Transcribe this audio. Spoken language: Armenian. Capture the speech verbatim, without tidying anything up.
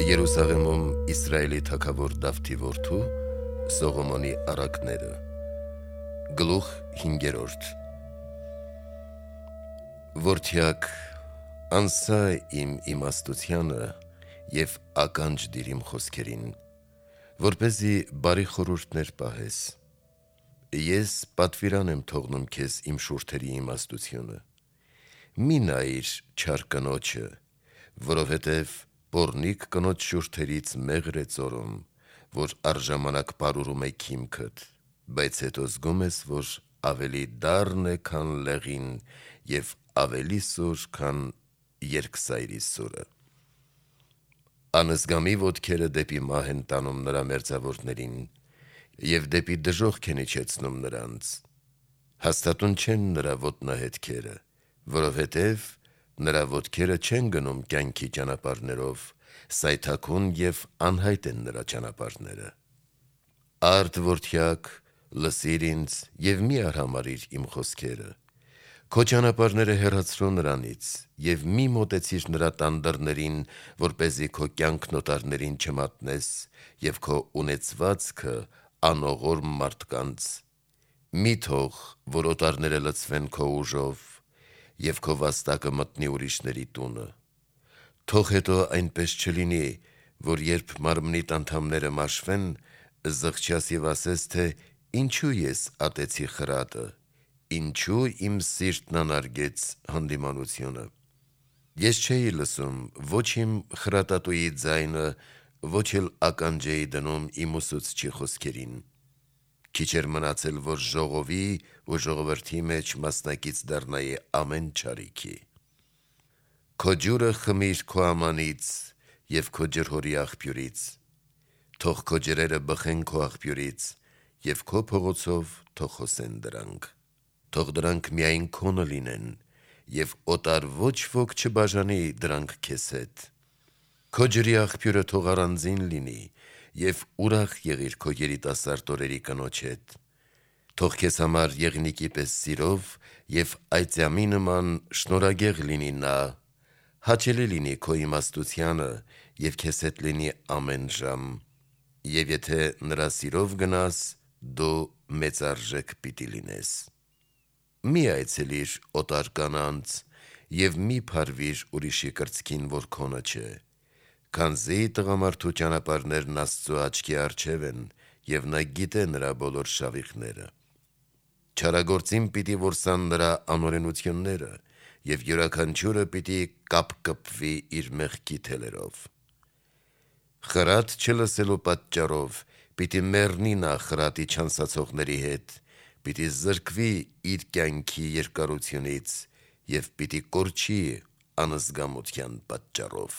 Երուսաղեմում Իսրայելի թագավոր Դավթի որդու Սողոմոնի առակները։ Գլուխ հինգերորդ։ Որդյակ, անսա իմ իմաստությանը և ականջ դիր իմ խոսքերին, որպեսզի բարի խորհուրդներ պահես։ Ես պատվիրան եմ թողնում քեզ իմ շուրթերի իմաստությունը։ Մի նայիր չար կնոջը, որովհետև պոռնիկ կնոջ շուրթերից մեղր է ծորում, որ առժամանակ պարուրում է քիմքդ, բայց հետո զգում ես, որ ավելի դառն է, քան լեղին և ավելի սուր, քան երկսայրի սուրը։ Անզգամի ոտքերը դեպի մահ են տանում նրա մերձավորներին և դեպի դժոխք են իջեցնում նրանց։ Հաստատուն չեն նրա ոտնահետքերը, որովհետև նրա ոտքերը չեն գնում կյանքի ճանապարհներով, սայթաքուն և անհայտ են նրա ճանապարհները։ Արդ որդյակ, լսիր ինձ և մի արհամարհիր իմ խոսքերը։ Քո ճանապարհները հեռացրու նրանից և մի մոտեցիր նրա տան դռներին, որպեսզի քո կյանքն օտարներին չմատնես և քո ունեցվածքը անողորմ մարդկանց։ Մի թող, որ օտարները լցվեն քո ուժով և քո վաստակը մտնի ուրիշների տունը։ Թող հետո այնպես չլինի, որ երբ մարմնիդ անդամները մաշվեն, զղջաս և ասես, թե ինչու ես ատեցի խրատը, ինչու իմ սիրտն անարգեց հանդիմանությունը։ Ես չէի լսում ոչ իմ խրատատուի ձայնը, ոչ էլ ականջ էի դնում իմ ուսուցչի խոսքերին։ Քիչ էր մնացել, որ ժողովի ու ժողովրդի մեջ մասնակից դառնայի ամեն չարիքի։ Քո ջուրը խմիր քո ամանից և քո ջրհորի աղբյուրից, թող քո ջրերը բխեն քո աղբյուրից և քո փողոցով թող հոսեն դրանք։ Թող դրանք միայն քոնը լինեն և օտար ոչ ոք չբաժանի դրանք քեզ հետ։ Քո ջրի աղբյուրը թող առանձին լինի և ուրախ եղիր քո երիտասարդ օրերի կնոջ հետ։ Թող քեզ համար եղնիկի պես սիրով և այծյամի նման շնորհագեղ լինի նա, հաճելի լինի քո իմաստությանը և քեզ հետ լինի ամեն ժամ, և եթե նրա սիրով գնաս, դու մեծարժեք պիտի լինես։ Մի այցելիր օտար կանանց և մի փարվիր ուրիշի կրծքին, որ քոնը չէ, քանզի տղամարդու ճանապարհներն Աստծու աչքի առջև են, և նա գիտե նրա բոլոր շավիղները։ Չարագործին պիտի որսան նրա անօրենությունները, և յուրաքանչյուրը պիտի կապկպվի իր մեղքի թելերով։ Խրատ չլսելու պատճառով պիտի մեռնի նա խրատի չանսացողների հետ, պիտի զրկվի իր կյանքի երկարությունից և պիտի կորչի անզգամության պատճառով։